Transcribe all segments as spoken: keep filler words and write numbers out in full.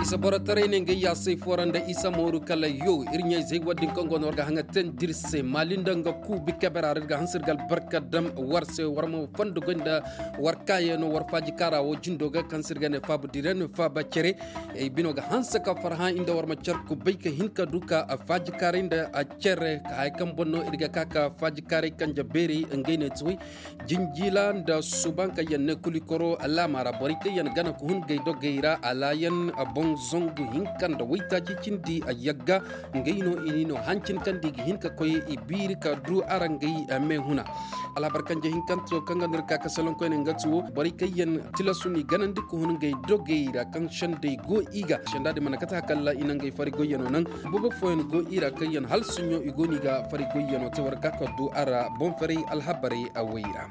Isa boro taray ne nga yaasay fo ra nda isa mooru kala yo iri ɲayzey wo- din kaŋ go no war ga haŋa teendi iri se maali nda nga kuubi kebera ra iri ga hanse iri ga albarka daŋ war se war ma fondo goy nda war kaayaŋo war faaji kaara wo jindo ga kaŋ se iri ga ne faaba dira ne faaba cere. Ay bino ga hanse ka farhã inda war ma care kubay ka hin ka du ka faaji kaaray nda care ka haya kaŋ boŋ no iri ga ka ka faaji kaaray kanje beeri ngey ne ti way. Jinjila nda suuban kaŋ yaŋ ne kulikoro laama ra borey kaŋ yaŋ gana ka hun gay dogey ra alaayan boŋ zangu hinka nda waytaaci cindi yagga. Ngey no i n'i no hancin kaŋ da i ga hin ka koy i biiri ka du araŋ gay meehuna. Alhabar kanje hinkanto kaŋ ga no iri ka ka salonkoyne nga ti wo borey kaŋ yaŋ tilasu n'i ganandi ka hun ngey dogey ra kaŋ sendey go i ga senda din mana kate hakalla i na ngey fari goyyano naŋ. Boobo fooyaŋ go i ra kaŋ yaŋ hala soɲõ i go no i ga fari goyyano te war ga ka ka du a ra boŋ faray alhabarey awey ra.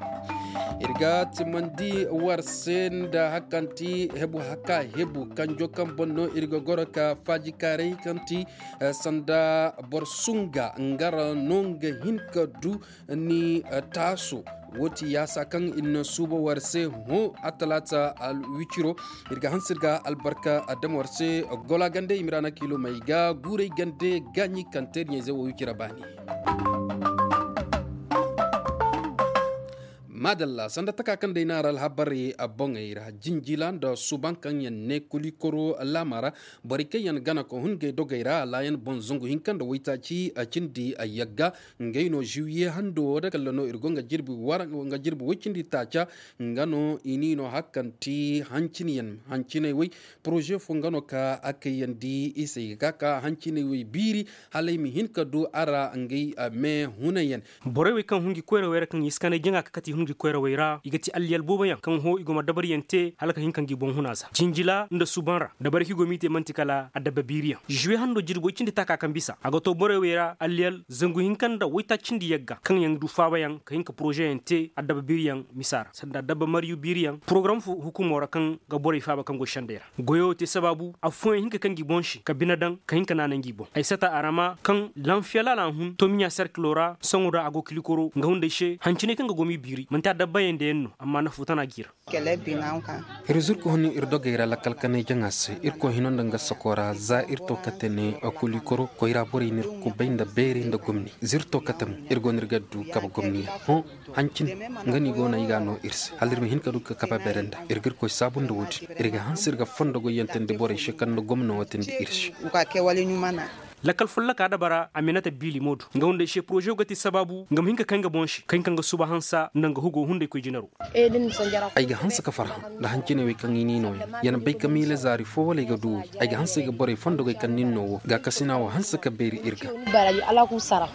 Iri ga timandi war se nda hari kaŋ ti hebu haka hebu kanjo kaŋ boŋ no iri ga goro ka faaji kaaray kaŋ ti sanda boro sunga nga ra no nga hin ka du ni taaso. Wo ti yaasa kaŋ iri na suuba war se hõ attalaata alwiciro. Iri ga hanse iri ga albarka dama war se gola gande i ma iri a na kiilo may ga guuray gande gaaɲi kaŋ te iri ɲayze wo wicira baani. Maadalla sanda taka kaŋ day naara alhabarey boŋey ra jinjila nda suuban kaŋ yaŋ ne kulikoro laama ra. Borey kaŋ yaŋ gana ka hun ngey dogey ra alaayan boŋ zangu hinka nda waytaaci cindi yagga. Ngey no ziwiye hando wo da kalla no iri go nga jirbi way cindi taaca. Nga no i n'i no hari kaŋ ti hanciney way poroze fo nga no ka a kayandi i se i ga ka ka hanciney way biiri hala i ma hin ka du a ra ngey meehunay yaŋ. Borey wey kaŋ hun ga i koyrawey ra kaŋ i si kanay jaŋa ka kate i hun ga i koyrawey ra i ga ti alliyal boobo yaŋ kaŋ hõ i go ma dabari yaŋ te hala ka hin ka nga i boŋ huna za jinjila nda suuban ra dabari kaŋ i go m'i te manti kala adabba biiri yaŋ ziwe hando jirbi way cindi taaka kaŋ bisa a ga to borey wey ra alliyal zangu hinka nda waytaaci cindi yagga kaŋ yaŋ du faaba yaŋ ka hin ka poroze yaŋ te adabba biiri yaŋ misa ra sanda adabba maryu biiri yaŋ porogaram fo hukumo ra kaŋ ga borey faaba kaŋ go sendey ra. Goyo te sabaabu afooyaŋ hin ka kanji boŋ se ka bine daŋ ka hin ka naana ngi boŋ ay sata arama kaŋ lanfiyala al'ahun tomiɲa serkilo ra sohõ da a go kilikoro nga hunday se hanciney kaŋ ga gom'i biiri manti a dabbayey nda yaŋ no amma nafu tana g'i ra. Iri zuru ka hun iri dogey ra lakkal kanay jaŋa se irkoy hino nda nga sako ra za iri to kate ne kulikoro koyra borey n'iri kubay nda beeri nda gomni z'iri to kate mo iri go no iri ga du kabe gomni yaŋ hõ. Hancin nga no i go no ay ga a no iri se hala iri ma hin ka du ka kabe beere nda iri ga irkoy saabu nda wo- din iri ga hanse iri ga fondo goyyaŋ teendi borey se kaŋ nda gomno wo teendi iri se. Lakkal folloka dabara a minata biili mo do nga hunday se poroze wo ga te sabaabu nga ma hin ka kay nga boŋ se ka hin ka nga suba hansa nda nga hugo hunday koy jinaro. Ay ga hanse ka farhã nda hanciney wey kaŋ i n'i no yaŋ yaŋ bay ka miila zaari fo wala ay ga du wey ay ga hanse ay ga borey fondogey kaŋ nin no wo gaakasina wo hanse ka beeri iri ga.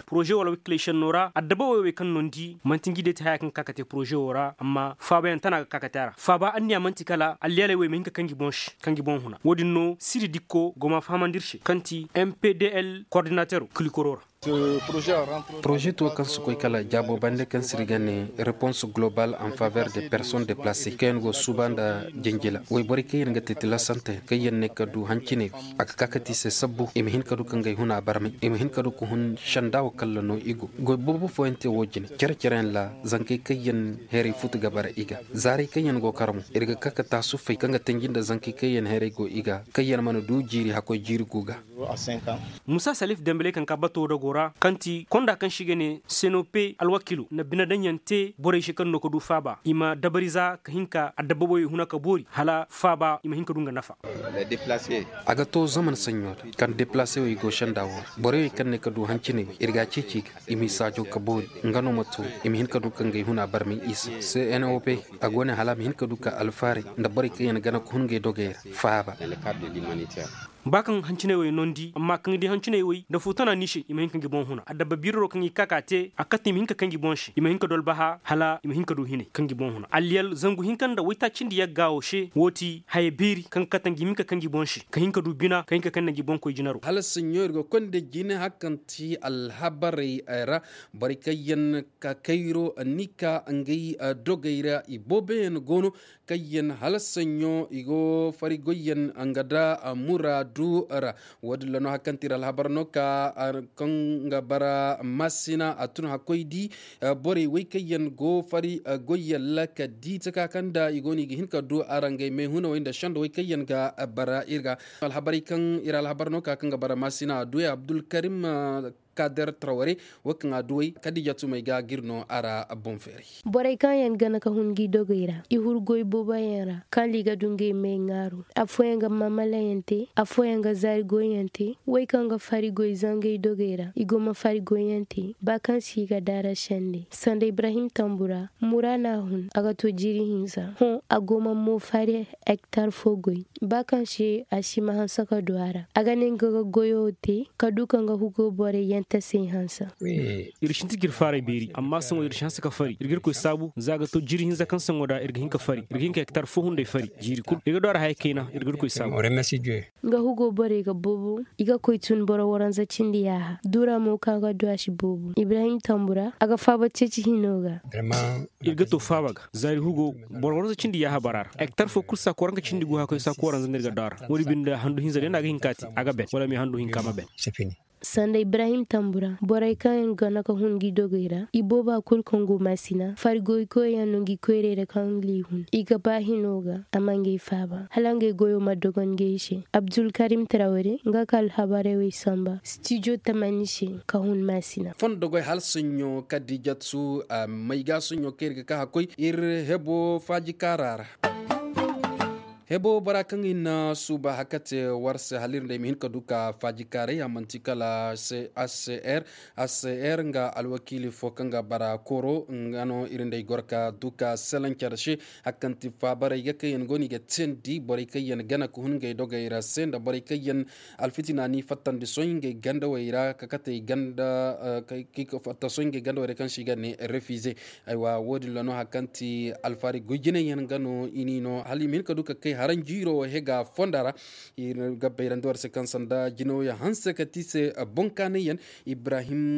Poroze wala waykiley senno ra adabawey wey kaŋ no ni di manti ngi day ti haya kaŋ ga ka ka te poroze wo ra amma faabayaŋ tana ga ka ka te a ra faaba anniya manti kala alliyaley wey ma hin ka kanji boŋ se kanji boŋ huna wo- din no siri dikko go ma fahamandi iri se kaŋ ti m p d l koordinatero kilikoro ra. Poroze to kaŋ si koy kala jaabo bande kaŋ se iri ga ne repons global en faveur de personne deplace kaŋ yaŋ go suuba nda jinjila wayborey kaŋ yaŋ ga te tilasante kaŋ yaŋ ne ka du hanciney a ga ka ka te i se sabbu i ma hin ka du ka ngey huna barmay i ma hin ka du ka hun senda wo kalla no i go goy boobo fooyaŋ te wo- jine care care yaŋ ra zankey kaŋ yaŋ heeray futu ga bara i ga zaarey kaŋ yaŋ go kar mo iri ga ka ka taasu fay kaŋ ga tanji nda zankey kaŋ yaŋ heeray go i ga kaŋ yaŋ mana du jiiri hakkoy jiiri gu ga. Musa salif dembele kaŋ ka bato dago ra kaŋ ti konda kaŋ se i ga ne senope alwakilo na bine daŋ yaŋ te borey se kaŋ no ka du faaba i ma dabari za ka hin ka adabba boyey huna ka boori hala faaba i ma hin ka du nga nafa. A ga to zaman saɲɲo ra kaŋ deplase wo i go senda wo ra borey wey kaŋ ne ka du hanciney wey iri ga a ceeci i ga i m'i saajo ka boori nga no ma to i ma hin ka du ka ngey huna barmay isa cnope a go ne hala a ma hin ka du ka alfaaray nda borey kaŋ yaŋ gana ka hun ngey dogey ra faaba. Ba kaŋ hanciney wey no ni di amma kaŋ di hanciney wey nda fu tana ni se i ma hin ka ngi boŋ huna adabba biiriro kaŋ i ga ka ka te a kate i ma hin ka kanji boŋ se i ma hin ka dolbaha hala i ma hin ka du hinay kaŋ ngi boŋ huna alliyal zangu hinka nda waytaaci nda yagga wo se wo ti haya beeri kaŋ ga kate ngi ma hin ka kanji boŋ se ka hin ka du bina ka hin ka kande ngi boŋ koy jinaro. Hala saɲɲo iri go konda jine hari kaŋ ti alhabarey ra borey kaŋ yaŋ ka kayro ni ka ngey dogey ra i boobo yaŋ go no kaŋ yaŋ hala saɲɲo i go fari goy yaŋ nga da muraad. Du ra. Wo- din ra no hari kaŋ ti iri alhabar no ka kaŋ ga bara masina a tun hakkoy di borey wey kaŋ yaŋ go fari goy yaŋ ra ka di taka kaŋ nda i go no i ga hin ka du araŋ ga ay meehunawey nda sendawey kaŋ yaŋ ga bara iri ga. Alhabarey kaŋ iri alhabar no ka kaŋ ga bara masina a du ya abdulkarim kader traware. Wo kaŋ a duwey kadija tumey ga ga iri no a ra boŋ feeray. Borey kaŋ yaŋ gana ka hun ga i dogey ra i huru goy boobo yaŋ ra kaŋ liga du ngey me ŋaaru. Afooyaŋ ga maamala yaŋ te, afooyaŋ ga zaari goy yaŋ te. Wey kaŋ ga fari goy zangey dogey ra i go ma fari goy yaŋ te ba kaŋ se i ga daara sende sanda ibrahim tambura mura no a hun a ga to jiiri hinza hõ a go ma mo fari hektar fo goy. Ba kaŋ se a si ma hanse ka du a ra a ga ne nga ga goyo te ka du ka nga hugo borey yaŋ tasey hanse. Iri sintin ka iri faaray beeri amma sohõ iri si hanse ka fari iri ga irkoy saabu za a ga to jiiri hinza kaŋ sohõ da iri ga hin ka fari iri ga hin ka hektar fo hunday fari jiiri kulu iri ga du a ra haya kayna iri ga irkoy saabu. Nga hugo borey ga boobo i ga koy tun boro waranza cindi yaaha dura mo kaŋ a ga du a si boobo ibrahim tambura a ga faaba ceeci hino ga. Iri ga to faaba ga zaari hugo boro waranza cindi yaaha bara ra hektar fo kulu saako waranka cindi gu haakoy saako waranza no iri ga du a ra wo- din binde handu hinza day no a ga hin ka te a ga ben wala me handu hinka ma ben. Sanda ibrahim tambura borey kaŋ yaŋ gana ka hun ga i dogey ra i booba kulu kaŋ go maasina fari goykoy yaŋ no ga i koyrey ra kaŋ ga i hun i ga ba hino ga a ma ngey faaba hala ngey goyo ma dogon ngey se. Abdulkarim traware nga ka alhabarey wey samba studio tamani se ka hun maasina. Fondo goy hala soɲɲo kadijatu may ga soɲɲo kaŋ iri ga ka hakkoy iri hebo faaji kaara ra. Hebo bora kaŋ i na suuba hakka te war se hala iri nda ay ma hin ka du ka faaji kaaray a manti kala hcr. Hcr nga alwakiili fo kaŋ ga bara kooro nga no iri nda ay goro ka du ka salaŋ care se. Hakka kaŋ ti faabaray ga kaŋ yaŋ go no i ga teendi borey kaŋ yaŋ gana ka hun ngey dogey ra se nda borey kaŋ yaŋ alfitina n'i fattandi sohõ ngey gandawey ra ka kate ganda fatta sohõ ngey gandawey ra kaŋ se i ga ne refize. Aywa wo- din ra no hari kaŋ ti alfaari goy jinay yaŋ ga no i n'i no hala i ma hin ka du ka kay haranjiiro wo hega fonda ra. Iri ga bayrandi war se kaŋ sanda jinaw yaŋ hanse ka ti se boŋ kaanay yaŋ ibrahim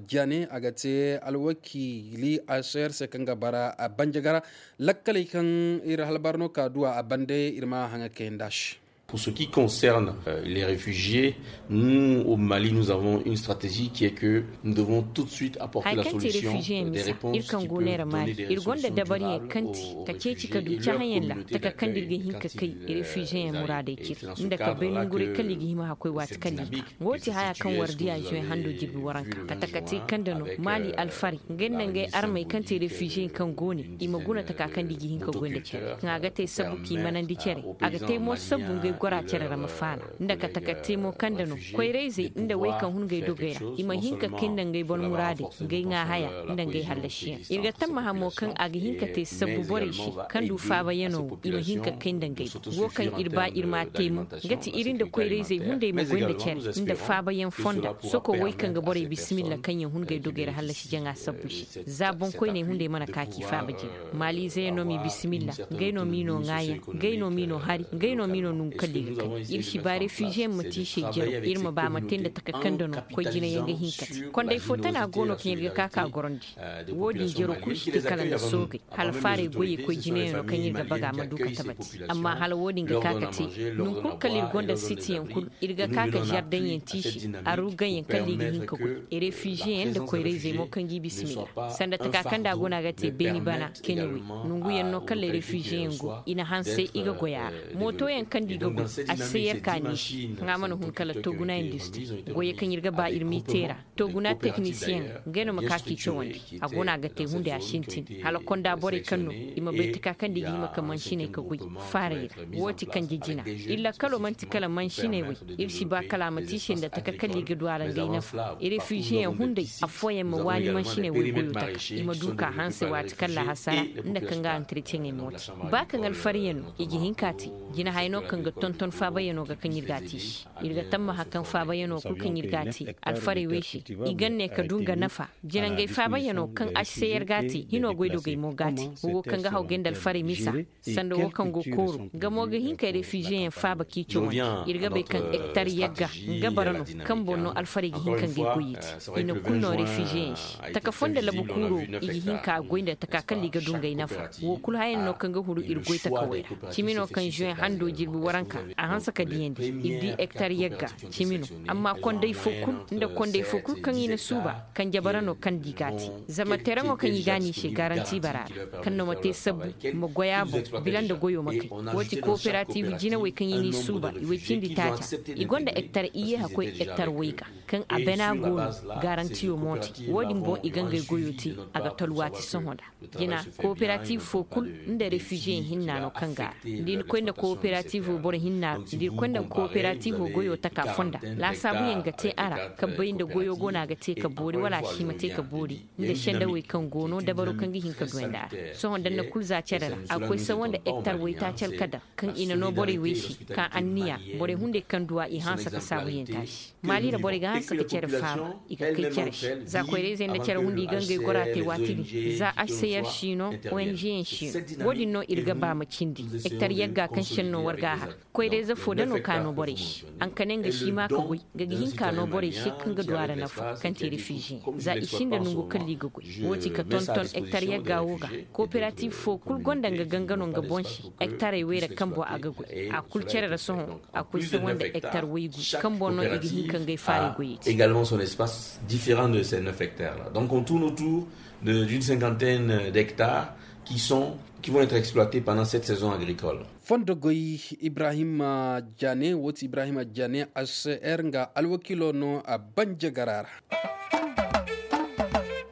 jane a ga te alwakiili aser se kaŋ ga bara banjagara lakkaley kaŋ iri halbar no ka duwa a bande iri ma haŋa kayandi a se. Pour ce qui concerne les réfugiés, nous au mali nous avons une stratégie qui est que nous devons tout de suite apporter la solution des réponses qui peuvent donner des réponses. Iri gonda dabariyaŋ kaŋ ti ka ceeci ka du cahãyaŋ ra taka kaŋ da iri ga hin ka kay refiziyeŋ muraadey cire nda ka bay nanguray kala i ga hima hakkoy waati kala i ga. Wo ti haya kaŋ war diya zuway hando jirbi waranka kate kate kaŋ da no maali alfaray ngey nda ngey armey kaŋ te refiziyeŋ kaŋ go ne i ma guna taka kaŋ da i ga hin ka goy nda care kaŋ a ga te sabbu k'i manandi care. A ga te mo sabbu ngey gora care ra ma faala nda kate ka te mo kaŋ da no koyrayzey nda wey kaŋ hun ngey dogey ra i ma hin ka kay nda ngey boro muraadey ngey ŋwa haya nda ngey hallasiyaŋ. Iri ga tammaha mo kaŋ a ga hin ka te sabbu borey se kaŋ du faabayaŋo wo i ma hin ka kay nda ngey. Wo kaŋ iri ba iri ma a te mo ga ti iri nda koyrayzey hunday ma goy nda care nda faabayaŋ fonda soko wey kaŋ ga borey bisimilla kaŋ yaŋ hun ngey dogey ra hallasi jaŋa sabbu se. Za boŋkoyney hunday mana ka k'i faaba jina maaliizeyaŋ no m'i bisimilla. Ngey no m'i no ŋwaayaŋ ngey no m'i no hari ngey no m'i no nangu kala i ga kay. Iri si ba refiziyeŋ ma te i se jaro iri ma ba ma te nda taka kaŋ da no koy jinayaŋ ga hin ka te. Kondey fo tana go no kaŋ iri ga ka ka gorandi. Wo- din jaro kulu si te kala nda soogey hala faaray goyey koy jinayaŋo kaŋ iri ga baga ma du ka tabati. Amma hala wo- din ga ka ka te nangu kulu kala iri gonda sitiyaŋ kulu iri ga ka ka zardaŋyaŋ te i se. Arugayaŋ kala i ga hin ka goy refiziyeyaŋ nda koyrayzey mo kaŋ g'i bisimilla sanda taka kaŋ da a go no a ga te beeni bana kene wey. Nanguyaŋ no kala refiziyeyaŋ go i na hanse i ga goy a ra. Mootoyaŋ kaŋ da i ga goy a si se yarka ni se. Kaŋ a mana hun kala toguna industri goyey kaŋ iri ga ba iri m'i te ra toguna teknisiyeŋ ngey no ma ka k'i cawandi. A go no a ga te hunday a sintin hala konda borey kaŋ no i ma bay taka kaŋ da i ga hima ka mansiney ka goy. Faaray ra wo ti kanje jina. Iri lakkalo manti kala mansiney wey. Iri si ba kala a ma te i se nda taka kala i ga du a ra ngey nafa refiziyeyaŋ hunday. Affooyaŋ ma waani mansiney wey goyo taka i ma du ka hanse waati kaŋ laahasara nda kaŋ ga antretiyeŋey mooti. Ba kaŋ alfaryaŋ no i ga hin ka te jina hayano kaŋ ga tonton faabayaŋo ga kaŋ iri ga a te i se. Iri ga tammaha kaŋ faabayaŋo kulu kaŋ iri ga a te alfarey wey se i gande ka du nga nafa. Jina ngey faabayaŋo kaŋ a si se yar ga a te hino goydogey mo ga a te. Wo go kaŋ ga haw gay nda alfarey misa sanda wo kaŋ go kooro nga mo ga hin ka refiziyeyaŋ faaba k'i cawandi. Iri ga bay kaŋ hektar yagga nga bara no kaŋ boŋ no alfarey ga hin ka ngey goyey te. I na kulu no refiziyeyaŋ se taka fo nda labu kuuro i ga hin ka goy nda taka kala i ga du ngey nafa. Wo kulu hayaŋ no kaŋ ga huru iri goy taka wey ra. Cimi no kaŋ zuwen hando jirbi waranka A hanse ka diyandi i di hektar yagga cimi no. Amma konday fo kulu nda konday fo kulu kaŋ i na suuba kaŋ jabara no kaŋ di ga a te. Zama tereŋo kaŋ i ga a no i se garanti bara ra kaŋ no ma te sabbu ma goy a boŋ bila nda goyo ma kay. Wo- ti kooperatiiv jinawey kaŋ i n'i suuba i way cindi taaca. I gonda hektar iyye hakkoy hektar way ga kaŋ a bana go no. Garantiyo monte wo- din boŋ i ga ngey goyo te. A ga tolwaati sohõ nda jina kooperatiiv fo kulu nda refiziyeŋ hinna no kaŋ ga a ra. Da i na koy nda kooperatiivo boro hinna ra da i koy nda kooperatiivo goyo taka fonda. Laasaabuyaŋ ga te a ra ka bay nda goyo go no a ga te ka boori wala a si ma te ka boori nda sendawey kaŋ go no dabaro kaŋ ga hin ka duwandi a ra. Sohõ da ni na kulu za care ra a ga koy sawa nda hektar waytaaci alkadar kaŋ i na no borey wey se ka anniya borey hunday kaŋ du a i hanse ka saabuyaŋ taasi. Maali ra borey ga hanse ka care faaru i ga kay care se. Za koyrayzey nda care hunday i ga ngey gora te waati din za h c r si no. Ong yaŋ si no wo- din no iri ga ba ma cindi hektar yagga kaŋ senno war ga a har. Koyrayze fo da no ka no borey se. Haŋ ka ne nga si ma ka goy nga ga hin ka no borey se kaŋ ga du a ra nafa kaŋ te refiziyeŋ za i sinda nongu kala i ga goy. Wo- ti ka tonton hektar yagga wo ga. Kooperatiiv fo kulu gonda nga ganga no nga boŋ se. Hektarey wayra kambo a ga goy a kulu care ra sohõ. A koy se wanda hektar waygu kaŋ boŋ no i ga hin ka ngey faaray goyey te. Également son espace différent de ces neuf hectares là donc on tourne autour de d'une cinquantaine d'hectares qui sont qui vont être exploités pendant cette saison agricole. Fondo goy ibrahima jane wo- ti ibrahima jane h c r nga alwakiilo no a banja gara ra.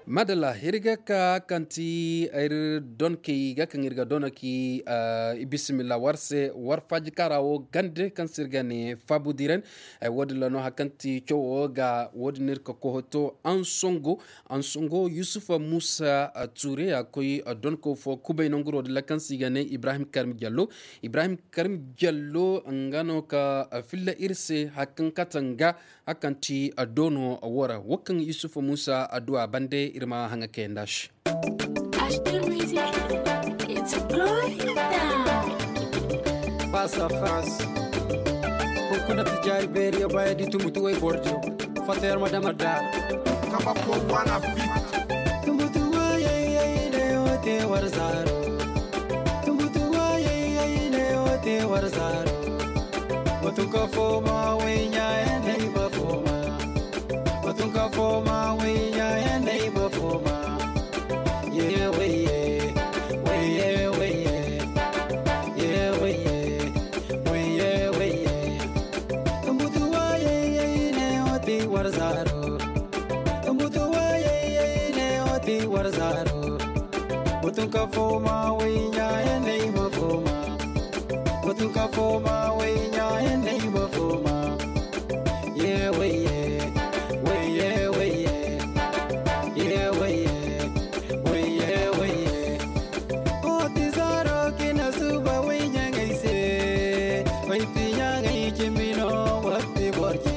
Madalla iri ga ka kaŋ ti iri donkey ga kaŋ iri ga dono ki. Bisimilla war se war faaji kaara wo gande kaŋ se iri ga ne faabu diren. Wo- din ra no hari kaŋ ti cawo ga wo- din iri ka kohoto ansongo ansongo yusufa muusa tuure a koy donko fo kubay nanguro din ra kaŋ se i ga ne ibrahim karmi jallo. Ibrahim karmi jallo nga no ka filla iri se hari kaŋ kate nga hari kaŋ ti doono wo ra wo kaŋ yusufa muusa adduwa bande iri ma haŋa kayanda se. Face à face. Hunkuna ti jaari beeri yo baya di tumbutu way bordiyo. Fato yar ma dama da. Kaba ko wana bi. Tumbutu wayay ay ne o te war zaro. Tumbutu wayay ay ne o te war zaro. Watunka foma wenya ya nai ma foma. Watunka foma wenya ya nai ma foma. Ye weye, weye, weye. Ye weye, weye, weye. Tumbutu wayay ne o te war zaro. Tumbutu wayay ne o te war zaro. Watunka foma wenya ya nai ma foma. Watunka foma wenya ya nai ma foma. Ye weye, weye, weye. Ye weye, weye, weye. Oti zaro kina suba wenya ngai se. Wai pinya ngai kimino wati borje.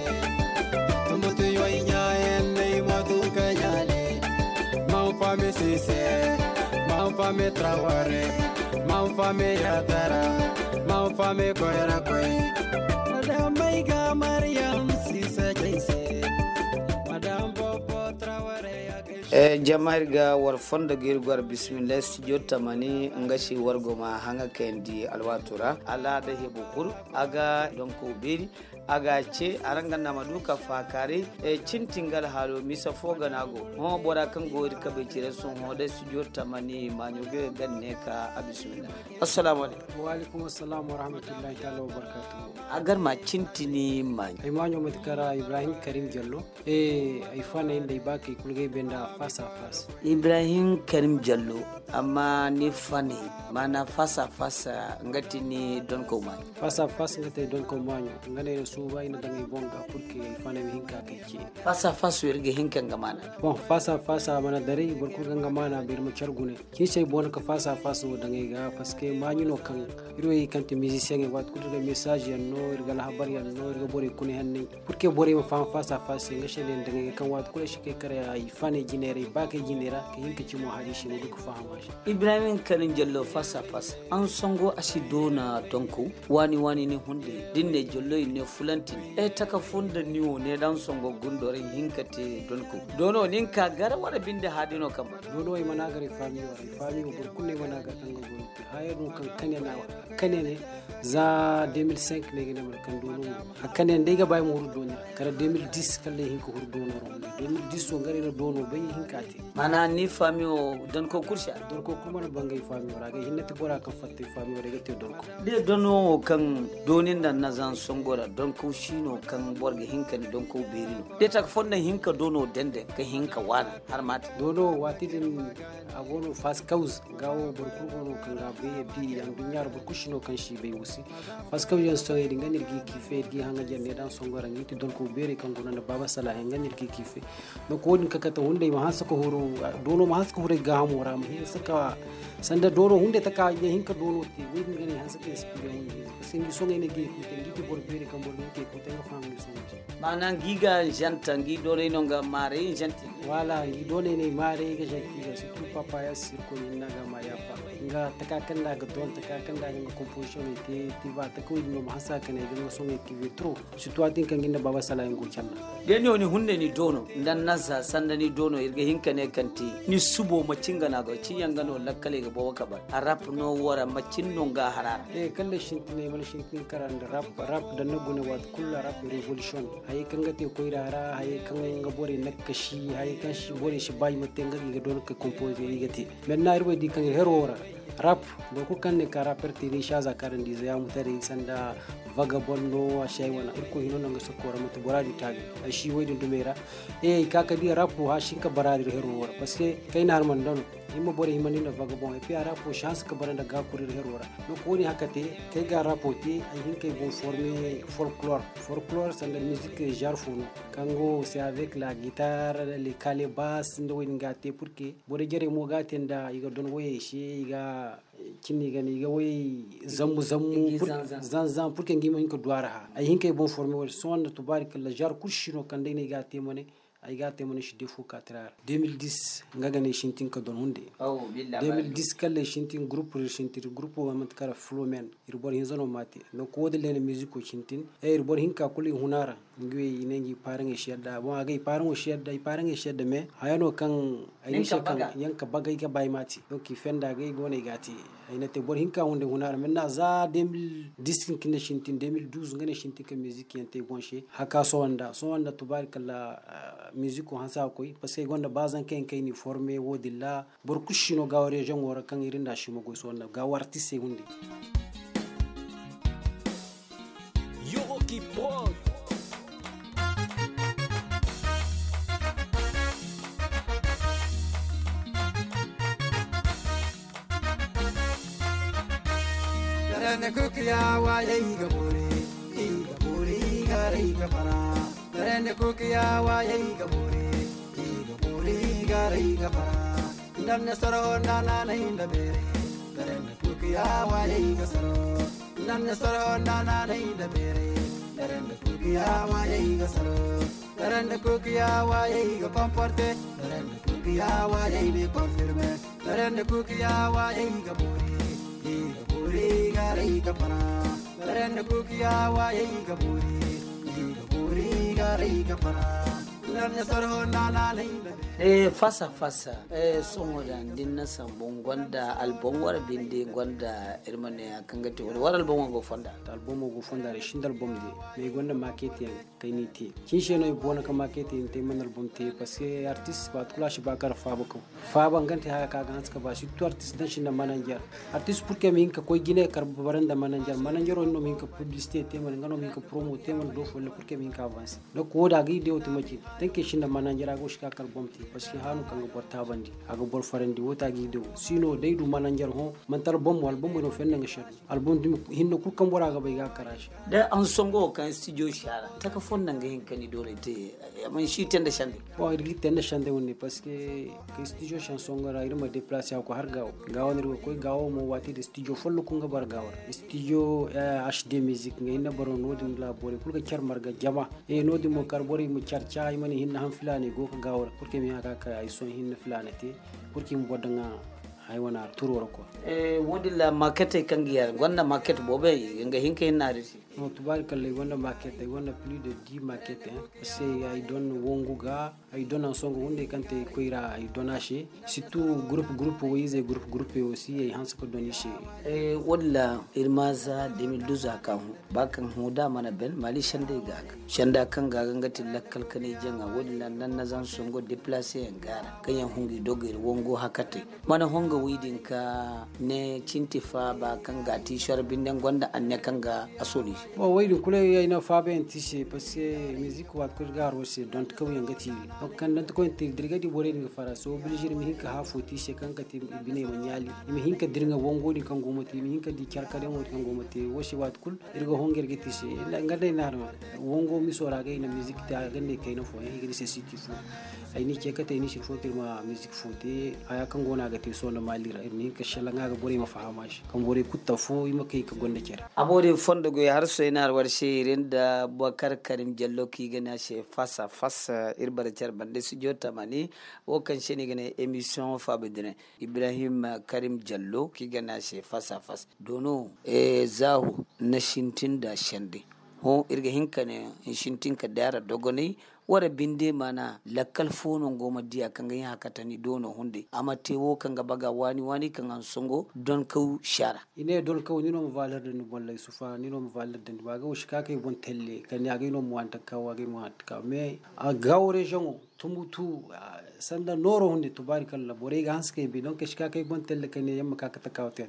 Tumbutu yoy nya en nei matu kanyale. Mam fami sise, mam fami traware, mam fami yatara, mam fami koyra koy. Madam mai ga Mariam sise jaise. Madam bobo traware ya kai. Eh, jama iri ga war fondo ga iri gwar bismillah studio tamani nga si war goma hanga kayandi alwatura ala da hebu kul aga donko beri. A ga ce araŋ ga nama du ka faakaaray. Cintin ga alhaalo misa fo gana go hõ bora kaŋ go iri kabay cire sohõ da studio tamani maaɲo ga ga ne ka a bismillah. Assalamu alaikum. Wa alaikum assalam wa rahmatullahi taala wa barakatuhu. A gar ma cintini maaɲo. Ay maaɲo mate kara ibrahim karim jallo. Ay fanay nda ay baakey kulu ga ay bay nda fas a fas. Ibrahim karim jallo. Amma ni fanay maana fas a fas nga ti ni donko maaɲo. Fas a fas nga ti ay donko maaɲo. Nga no ay na suuba ay na daŋ ay boŋ ga purke ay fanay ma hin ka kay ce. Fas a fas wo iri ga hin ka nga maana. Boŋ fas a fas a mana daray boro kulu ga nga maana bay iri ma care gune. Ciisay boŋ no ka fas a fas wo daŋ ay ga paske maaɲo no kaŋ iri wo iri kaŋ ti mizisiyeŋey waati kulu iri ga mesaaz yaŋ no iri ga alhabar yaŋ no iri ga borey kuna henney. Purke borey ma faham fas a fas se nga se no ay na daŋ ay ga kaŋ waati kulu ay si kay kare ay fanay jinay ra ay baakey jinay ra ka hin ka cimo hari se ma du ka faham a se. Ibrahim karim jallo fas a fas. An sango a si doona donko waani waani ni hunde da ni ne jallo i ne fula. Lantin, e taka funda ni wo ne dan songo gundo ra hinka te donko. Dono nin ka gara wara binde hadi no kamba. Dono ay mana gara i fami wara, i fami wo boro kulu ay mana gara kanga gono. Haya no kan kane na kane ne za deux mille cinq ne gane mar kan dono. A kane ndai ga bai mo huru dono. Kara deux mille dix kalle hinka huru dono ro. Deux mille dix wo ngare na dono bai hinka te. Mana ni fami wo donko kursa. Donko kuma na bangay fami wara ga hinna ti bora kan fatta fami wara ga te donko. De dono wo kaŋ dooni nda nazan songo ra donko si no kaŋ boro ga hin ka ni donko beeri no. De taka fonda hinka dono dende ka hin ka waana har ma te. Dono waati din a go no fas kaws ga wo boro kulu go no kaŋ ga bay ya bi yaŋ duɲɲa ra boro kulu si no kaŋ si bay wo se. Fas kaws yaŋ sohõ din ga no iri ga i kiife iri ga i haŋ ga jande daŋ songo ra nga i ti donko beeri kaŋ go no nda baaba sala yaŋ ga no iri ga i kiife. Donko wo- din ka kate hunday ma hanse ka huru dono ma hanse ka huru ay gaahamo ra ma hanse ka sanda dono hunday taka ya hinka dono te wo- din ga no ay hanse ka inspire hunday parce que ngi soŋay no ay ga i kuute ngi ti boro beeri kaŋ boro ga hin ka ay kuute nga faham ngi soŋay te. Maana ngi ga zanta ngi doonay no nga maaray zanta. Wala ngi doonay no ay maaray ga zanta i ga surtout papa ya sirko ni na ga ma yaafa nga taka kaŋ da ga doon taka kaŋ da ga nga composition ay te ti ba taka wo- din no ma hanse ka ne ay ga nga soŋay kiife trop. Surtout waati kaŋ ga ni na baaba sala yaŋ go canda. De ni wo ni hunday ni doono nda naza sanda ni doono iri ga hin ka ne kaŋ te ni subo macin ga no a go ci yaŋ ga no lakkaley ga boobo ka bar a rap no wara macin no nga hara ra. Kaŋ day sintinay mana sintin kara nda rap rap da ni na gune waati kulu ra rap revolution hayey kaŋ ga te koyra ra hayey kaŋ ga borey nakkasi hayey kaŋ borey si ba i ma te nga ga i ga doono ka composer i ga te. Maintenant iri wo ay di kaŋ iri hero wo ra rap boro kulu kaŋ ne ka rapper te day si a za kaarandi ize yaamu taray sanda vagabond no a si ay wane irkoy hino no nga sokko ra manti bora din taali ay si wo- din dumey ra. E i ka ka di rap wo hã si hin ka bara din hero wo ra parce que kayna har mana dano himma borey himma ni nda vagabond et puis a rap wo si hanse ka bara nda gaakuri iri hero ra. Donc wo- din hã ka te kay ga rap wo te ay hin kay boŋ forme folklore folklore sanda musique genre fo no kaŋ go c'est avec la guitare les calebas nda wo- din ga te pour que borey jarey mo ga a te nda i ga don wayey se i ga cindi i ga ne i ga wayey zambu zambu zanzan pour que ngi ma hin ka du a ra hã ay hin kay boŋ forme wo- din sohõ nda tubaari kala genre kulu si no kaŋ day no ay ga a te mane ay ga a te mane si defo ka tira ra deux mille dix nga ga ne sintin ka don hunde. Deux mille dix kala sintin groupe sintin groupe wo manti kara flomen iri boro hinza no ma te. Donc wo- din lene musico sintin iri boro hinka kulu i huna ra. Ngi wey i ne ngi paaraŋey si yadda boŋ a ga i paaraŋo si yadda i paaraŋey si yadda mais haya no kaŋ ay ne se kaŋ yaŋ ka bagay ga ba ay ma te. Donc i fenda ga i go no ay ga a te. Ay na te boro hinka hunday huna ra maintenant za deux mille dix kaŋ cine sintin deux mille douze nga ne sintin ka musique yaŋ te ay boŋ se haka sohõ nda sohõ nda tubaari kala musico hanse a ga koy parce que ay gonda ba zanka yaŋ kaŋ ay n'i forme wo- din ra. Boro kulu si no gaawo région wo ra kaŋ iri nda a si ma goy sohõ nda gaawo artistey hunday. Yoroki Prod. Darande kukiya waye i ga bore, i ga bore i ga ray ga fara. Darande kukiya waye i ga bore, i ga bore i ga ray ga fara. Ndanne soro nda nanay nda bere. Darande kukiya waye i ga soro. Ndanne soro nda nanay nda bere. Darande kukiya waye i ga soro. Darande kukiya waye i ga comporte. Darande kukiya waye i ga confirme. Darande kukiya waye i ga bore. I ga bore i ga ray ga fara. Darande kukiya waye i ga bore. I ga bore i ga ray ga fara. Darande soro nda nanay nda bere. Eh, fasa fasa. Eh, sohõ da din na sambu n gonda album wara binde n gonda iri ma ne a kaŋ ga te wala wara album go fonda. Album go fonda da sinda album de me gonda market yaŋ kay ni te. Cin se no i boona ka market yaŋ te man album te parce que artist ba tukula si ba kar faaba kaw. Faaba ngante haya ka ga hanse ka ba surtout artist dan sinda manager. Artist pour que mi hinka koy gine kar baranda manager manager no mi hinka publicité te man nga no mi hinka promo te man do folle pour que mi hinka avance. Donc wo da ga i dewo te macin tanke sinda manager a go si ka kar bom te parce que hano kaŋ ga boro taabandi a ga boro farandi wo ta ga i dewo sino day du manager ho mantal bom album no fenna nga sharru album dumi hinna kul kaŋ bora ga bay ga kara shi. Da an songo kaŋ studio shara taka fonda nga hin kani dole te. Man shi tenda shande. Bon iri gi tenda shande wonne parce que ka studio shan songo ra iri ma déplacer ko har gawo gawo ne iri koy gawo mo wati da studio follo kun ga bar gawo studio hd music nga hinna baro no din la bore kul ga kyar marga jama. E no din mo kar bore mu kyar cha ay mani hinna han filane go ka gawo pour que mi haka ka ay son hinna filane te pour que mu bodda nga ay wane turo ra quoi. Wo- din ra maaketey kaŋ ga yaŋ gonda maaket boobo yaŋ i ga hin ka hin naari se. No tubaari kalla ay gonda maaket ay gonda plus de dix maaket yaŋ. Parce que ay don wangu ga ay don ansongo hunday kaŋ te koy ra ay don a se. Surtout gurupu gurupu wo izey gurupu gurupu wo si ay hanse ka don i se. Wo- din ra iri ma za deux mille douze a ka hõ ba kaŋ hõ da a mana ben maali sendey ga a ga senda kaŋ ga a ga nga ti lakkal kanay jaŋa wo- din ra nanna zansongo deplace yaŋ ga a ra kaŋ yaŋ hungu i dogo iri wango hakatey mana honga wi din ka ne cinti faaba kaŋ ga a ti soro binde nga gonda anne kaŋ ga a soli. Bon wo- din kulu ay na faaba yaŋ ti se parce que musique waati kulu ga haro se donte kaw yaŋ ga ti iri donte kaŋ donte kaw yaŋ ti iri da iri ga di borey din ga fara se obligé iri ma hin ka haafo ti se kaŋ ga ti iri biney ma ɲaali. Iri ma hin ka dira nga wango din kaŋ go ma te iri ma hin ka di care kar yaŋo din kaŋ go ma te wo se waati kulu iri ga hongu iri ga ti se. Nga day na harma wango miso ra ga i na musique te a ga ne kayna fo yaŋ i ga ne se siti fo. Ay ni ce kate ni sirfo kirma musique fo te haya kaŋ go no a ga te sohõ nda maali ra iri ma hin ka shala nga ga borey ma faham a se kaŋ borey kulu ta fo i ma kay ka gonda care. A boori fondo goy har soy na har war se iri nda bokar karim jallo kaŋ i ga ne a se fasa fasa iri bara care bande studio tamani wo kaŋ se no i ga ne emission faaba dine ibrahim karim jallo kaŋ i ga ne a se fasa fasa doono. Zaahu ni sintin nda sende hõ iri ga hin ka ne ni sintin ka daara dogonay. Wara binde mana lakkal fo no ngo ma diya kaŋ ga hin hakatani doono hunday a ma te wo kaŋ ga baga waani waani kaŋ ga ni songo donkaw sara. I ne donkaw ni no ma valeur da ni bollay sufa ni no ma valeur da ni ba ga wo si ka kay boŋ telle kala ni a gay no ma waani taka wa gay ma waani taka mais a gawo rejoŋo tumbutu sanda nooro hunday tubaari kala borey ga hanse kay bi donk si ka kay boŋ telle kala ni yaŋ ma ka ka taka wa te.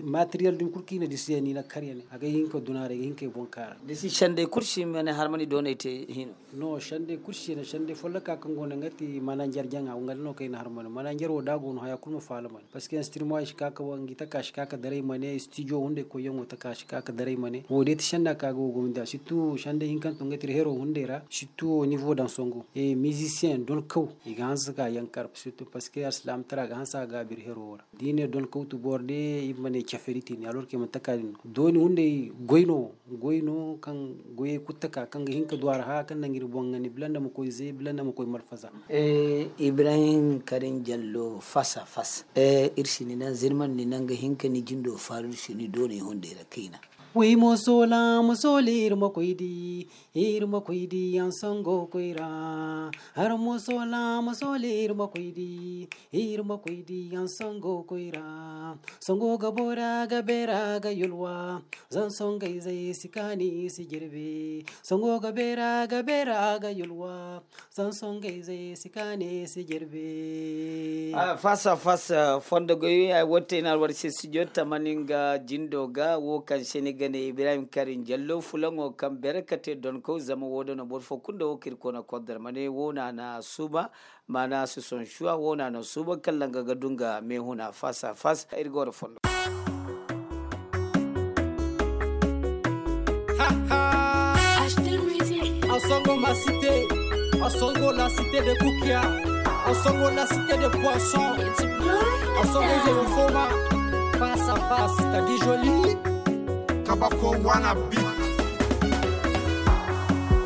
Materiel din kulu kaŋ i na disi yaŋ ni na kar yaŋ a gay hin ka duna ra ay ga hin kay boŋ kaara. Disi sendey kulu si ma ne har ma ni doonay te hino. No sendey kulu si ne sendey folloka kaŋ go no nga ti mananjar jaŋa nga da no kaŋ ay na har ma ne mananjar wo da a go no haya kulu ma faala ma ne parce que instrument ay si ka ka wangi taka si ka ka daray ma ne studio hunday koy yaŋo taka si ka ka daray ma ne wo day ti senda kaŋ a ga wo gomni da surtout sendey hinkante nga ti iri hero hunday ra surtout au niveau daŋ songo. Musicien donkaw i ga hanse ka yankar surtout parce que alsilaama tara ga hanse a ga a biri hero wo ra da i ne donkaw tu boro day i ma ne cafari tini alors que i mana taka din no dooni hunday goy no wo goy no kaŋ goyey kulu taka kaŋ ga hin ka du a ra haya kaŋ naŋ iri boŋ ga ne bila nda ma koy zay bila nda ma koy malfaza. Ibrahim karim jallo fasa fasa. Iri si ni naŋ zirman ni naŋ ga hin ka ni jindo faaru iri si ni doonay hunday ra kayna. Way mo soola ma sooli iri ma koy di iri ma koy di yaŋ sango koy ra. Har mo soola ma sooli iri ma koy di iri ma koy di yaŋ sango koy ra. Sango ga boora ga beera ga yulwa zan songayzey si kaani si jirbi. Sango ga beera ga beera ga yulwa zan songayzey si kaani si jirbi. Fasa fasa fondo goy ay wotte na alwar se studio tamani nga jindo ga wo kaŋ se ni ga ne ibrahim karim jallo fulaŋo kaŋ bere ka te donkaw zama wo da no boro fo kulu nda wo kaŋ iri koona kordar ma ne wo no a na suuba. Maana si sohõ suwa wo no a na suuban kaŋ langa ga du nga meehuna fas a fas iri ga wara fondo. Asongo ma cité, asongo la cité de kukia, asongo la cité de poisson, asongo zero foma. Face à face ka di joli. Kabako wana bi.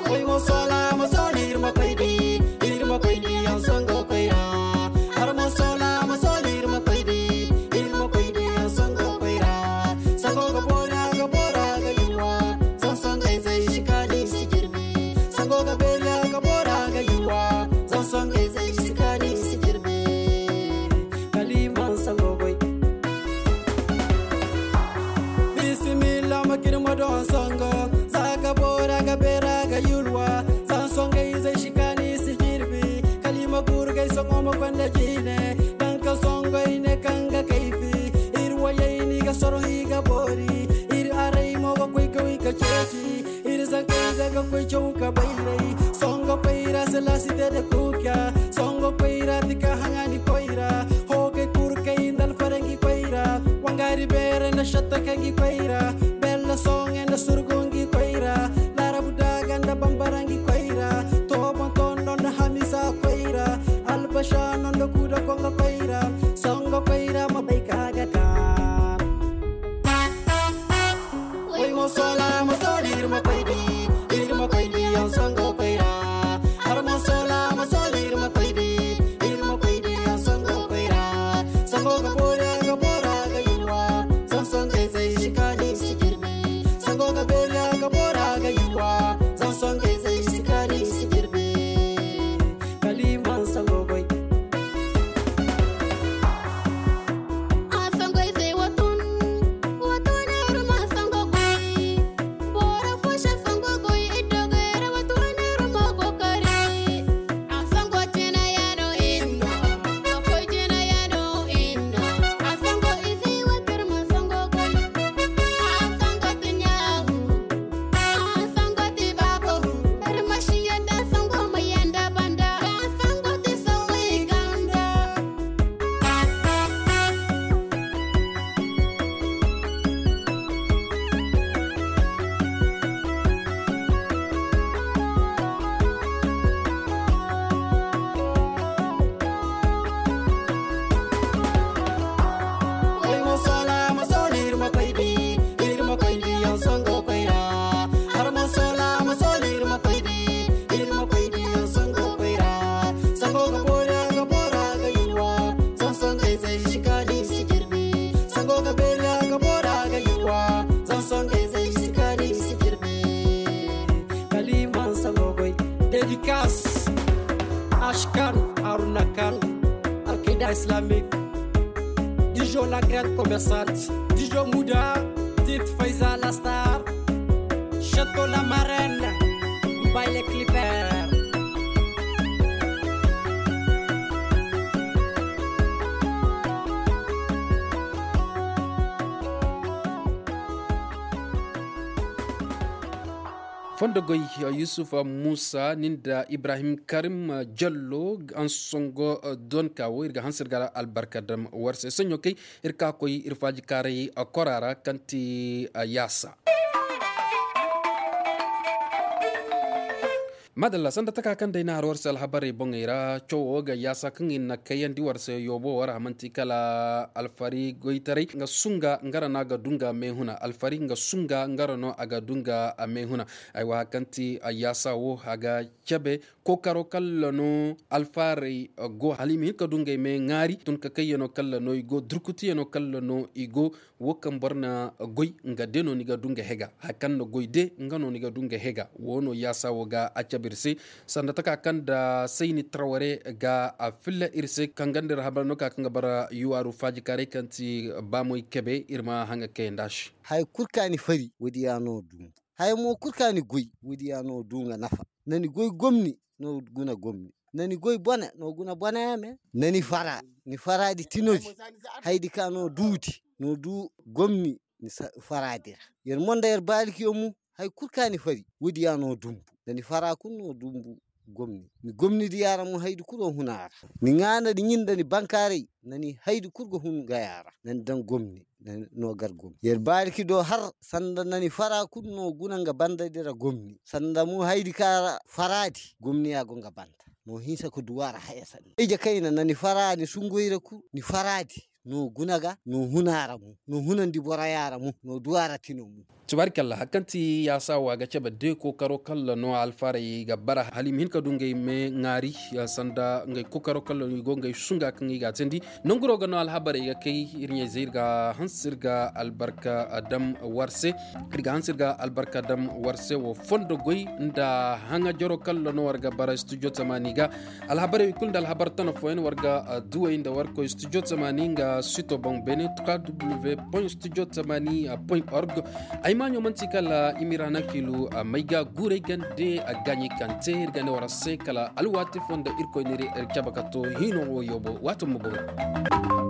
Koy mo sola mo soli ir mo koy di. Ir mo koy di an songo koy ra. Ar mo sola mo soli ir mo koy di. Ir mo koy di an songo koy ra. Songo ga bora ga bora ga yuwa. Son songo zai shikali si jirbi. Sango ga bera ga bora ga yuwa. Zan songo zai shikali si jirbi. Kaliman sango goy. Bisimilla ma kirma don songo. Za ga bora ga bera ga yulwa. Zan songo zai shikali si jirbi. Kalima gurgai songo ma kwanda jine. Dan ka songo ine kanga kaifi. Ir wayai ni ga soro hi ga bori. Ir arai mo ga kwai ga wi ga ceji. Iri zankey daga koy caw ka bayray. Songo koyra se la cité de kukia. Songo koyra tika hangani koyra. Hogay kurkay ndal farangi koyra. Wangari bere na shatta kangi koyra. Bella songe na surgungi koyra. Larabu daga nda bambarangi koyra. Tobon tondo nda hamisa koyra. Albasha nondo kuda konga koyra. Songo koyra ma bay kagata. Koy mo sola mo soli ir mo koy di. Ir mo koy di an songo koy ra. Har mo sola mo soli ir mo koy di. Ir mo koy di an songo koy ra. Songo ga bora Haruna Kal, Alkaida Islamic, Dijo la grande commerçante, Dijo Muda, Tit Faiza la star, Château la Marraine, Baile Clipper. Fondo goy, yusuf musa nin da ibrahim karim jallo, ansongo, donka wo iri ga hanse iri ga albarka dam warse sanyo kay. Iri ka koy iri faaji kaaray kora ra kaŋ ti yaasa. Madalla sanda taka kaŋ day na har warse alhabarey boŋey ra cawo ga yaasa kaŋ i na kayandi warse yoobo wo ra manti kala alfari goytaray nga sunga nga ra no a ga du nga meehuna alfari nga sunga nga ra no a ga du nga meehuna. Ay wa hari kaŋ ti yaasa wo a ga cabe kookaro kaŋ ra no alfaarey go hala i ma hin ka du ngey me ŋaari tun ka kayyaŋo kaŋ ra no i go durkutiyano kaŋ ra no i go. Wo kaŋ boro na goy nga de no ni ga du nga hega hari kaŋ na goy de nga no ni ga du nga hega wo no yaasa wo ga a cabe iri se. Sanda taka kaŋ nda sayni taraware ga a filla iri se kaŋ ganda iri habar no ka kaŋ ga bara yuwaaru faajikaaray kaŋ ti baamoy kebe iri ma haŋ ga kayandi a se. Hari kulu kaŋ a ni fari wo- din ya no dumbu. Hari mo kulu kaŋ a ni goy wo- din ya no du nga nafa. Na ni goy gomni no guna gomni. Na ni goy bone no guna bone yaŋ me. Na ni fara ni fara di tino di hari di ka no du di no du gomni. Ni fara di ra. Yar mo nda yar baariki yaŋ mo hari kulu kaŋ a ni fari wo- din ya no dumbu. Na ni fara kulu no dumbu gomni. Ni gomni di yaŋ ra mo hari di kulu ga hun a ra. Ni ŋwaana di ɲin nda ni bankaaray na ni hari di kulu ga hun ga yaŋ ra. Na ni daŋ gomni no gar gomni yar baariki do har sanda na ni fara kulu no guna nga banda di ra gomni sanda mo hari di kaŋ a ra fara di gomni ya go nga banda. No hinsa ga du a ra haya sanda ije kayna na ni fara ni sungoy ra kulu ni fara di no guna ga no hun a ra mo no hunandi boro yaŋ ra mo no du a ra tino mo. Tubaari kalla hari kaŋ ti yaasa wo a ga cabe de kookaro kaŋ ra no alfaarey ga bara hala i ma hin ka du ngey me ŋwaari sanda ngey kookaro kaŋ ra no i go ngey sunga kaŋ i ga a teendi. Nanguro ga no alhabarey ga kay iri ɲayzey iri ga hanse iri ga albarka dam war se. Iri ga hanse iri ga albarka dam war se wo fondo goy nda haŋajaro kaŋ ra no war ga bara studio tamaani ga. Alhabarey kulu nda alhabar tana fooyaŋ war ga duwey nda war koy studio tamaani nga sito boŋ beene trois w point studio tamaani point org. Ay maaɲo manti kala i ma iri hanakiilu may ga guurey gande a gaaɲey kaŋ te iri ga ne war se kala alwaati fo nda irkoy n'iri cabe ka to hiino wo yoobo waato ma boori.